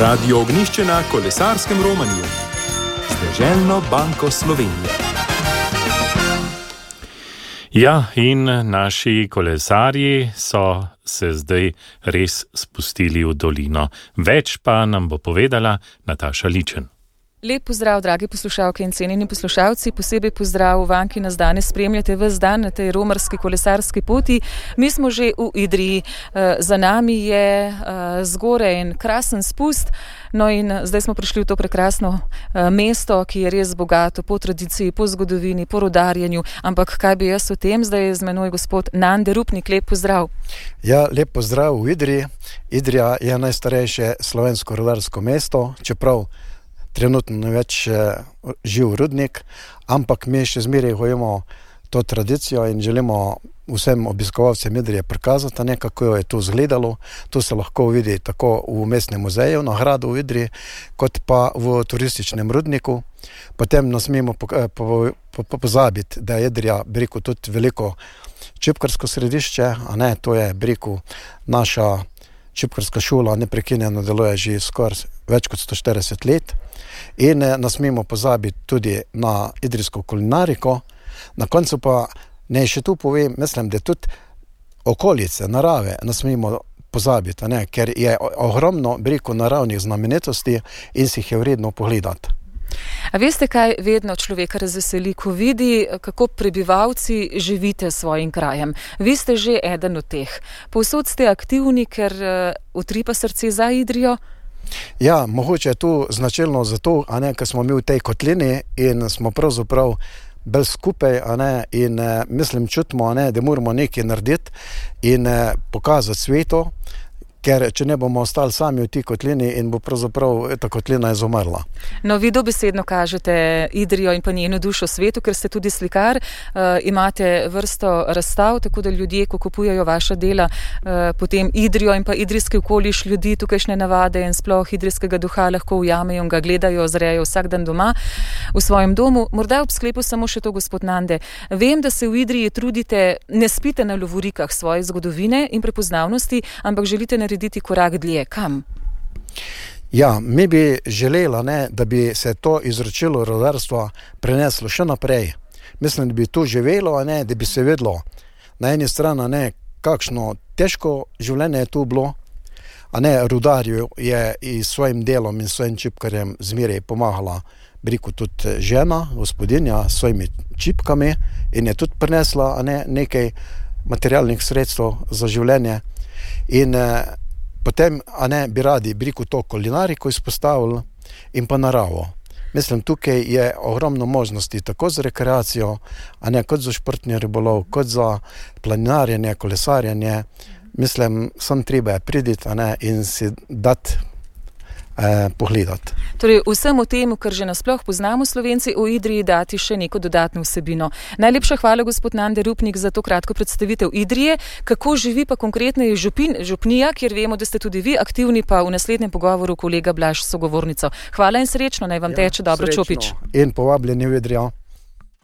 Radio Ognjišče na kolesarskem romanju z Deželno banko Slovenije. Ja, in naši kolesarji so se zdaj res spustili v dolino. Več pa nam bo povedala Nataša Ličen. Lep pozdrav, dragi poslušalke in cenjeni poslušalci, posebej pozdrav vam, ki nas danes spremljate ves dan na tej romarski kolesarski poti. Mi smo že v Idriji, za nami je zgoraj en krasen spust, no in zdaj smo prišli v to prekrasno mesto, ki je res bogato po tradiciji, po zgodovini, po rodarjenju, ampak kaj bi jaz o tem, zdaj je z menoj gospod Nande Rupnik, lep pozdrav. Ja, lep pozdrav v Idriji. Idrija je najstarejše slovensko rodarsko mesto, čeprav trenutno ne več živ rudnik, ampak mi še zmeraj hojimo to tradicijo in želimo vsem obiskovalcem Idrije prikazati, kako je to izgledalo. To se lahko vidi tako v mestnem muzeju na gradu v Idriji, kot pa v turističnem rudniku. Potem ne smemo pozabiti, da je Idrija, bi rekel, tudi veliko čipkarsko središče, to je, bi rekel, naša čipkarska šola neprekinjeno deluje že skoraj več kot 140 let. In ne smemo pozabiti tudi na idrijsko kulinariko. Na koncu pa ne še tu povem, mislim, da tudi okolice, narave ne smemo pozabiti, ker je ogromno, bi rekel, naravnih znamenitosti in si jih je vredno pogledati. A veste, kaj vedno človeka razveseli, ko vidi, kako prebivalci živite s svojim krajem? Vi ste že eden od teh. Povsod ste aktivni, ker utripa srce za Idrijo? Ja, mogoče je tu značilno zato, ker smo mi v tej kotlini in smo pravzaprav bolj skupaj, in mislim, čutimo, da moramo nekaj narediti in pokazati svetu, ker če ne bomo ostali sami v tej kotlini in bo pravzaprav ta kotlina izumrla. No, vi dobesedno kažete Idrijo in pa njeno dušo svetu, ker ste tudi slikar, imate vrsto razstav, tako da ljudje, ko kupujejo vaša dela, potem Idrijo in pa idrijski okoliš ljudi, tukajšnje navade in sploh idrijskega duha lahko ujamejo in ga gledajo, zrejo vsak dan doma v svojem domu. Morda ob sklepu samo še to, gospod Nande. Vem, da se v Idriji trudite, ne spite na lovorikah svoje zgodovine in prepoznavnosti, ampak želite narediti korak dlje. Kam? Ja, mi bi želeli, da bi se to izročilo rodarstva preneslo še naprej. Mislim, da bi to živelo, da bi se vedlo na eni strani, kakšno težko življenje je tu bilo, rudarju je i svojim delom in svojim čipkarjem zmeraj pomagala, bi rekel, tudi žena, gospodinja, s svojimi čipkami in je tudi prinesla nekaj materialnih sredstev za življenje. In potem, bi radi, bi rekel, to kulinariko izpostavili in pa naravo. Mislim, tukaj je ogromno možnosti, tako za rekreacijo, kot za športni ribolov, kot za planinarjenje, kolesarjenje. Mislim, sem treba priditi, in si dati pogledati. Torej, vsemu temu, kar že nasploh poznamo Slovenci v Idriji, dati še neko dodatno vsebino. Najlepša hvala, gospod Nande Rupnik, za to kratko predstavitev Idrije. Kako živi pa konkretneje župnija, kjer vemo, da ste tudi vi aktivni, pa v naslednjem pogovoru kolega Blaž sogovornico. Hvala in srečno, naj vam teče dobro, srečno. Čopič. In povabljeni v Idrijo.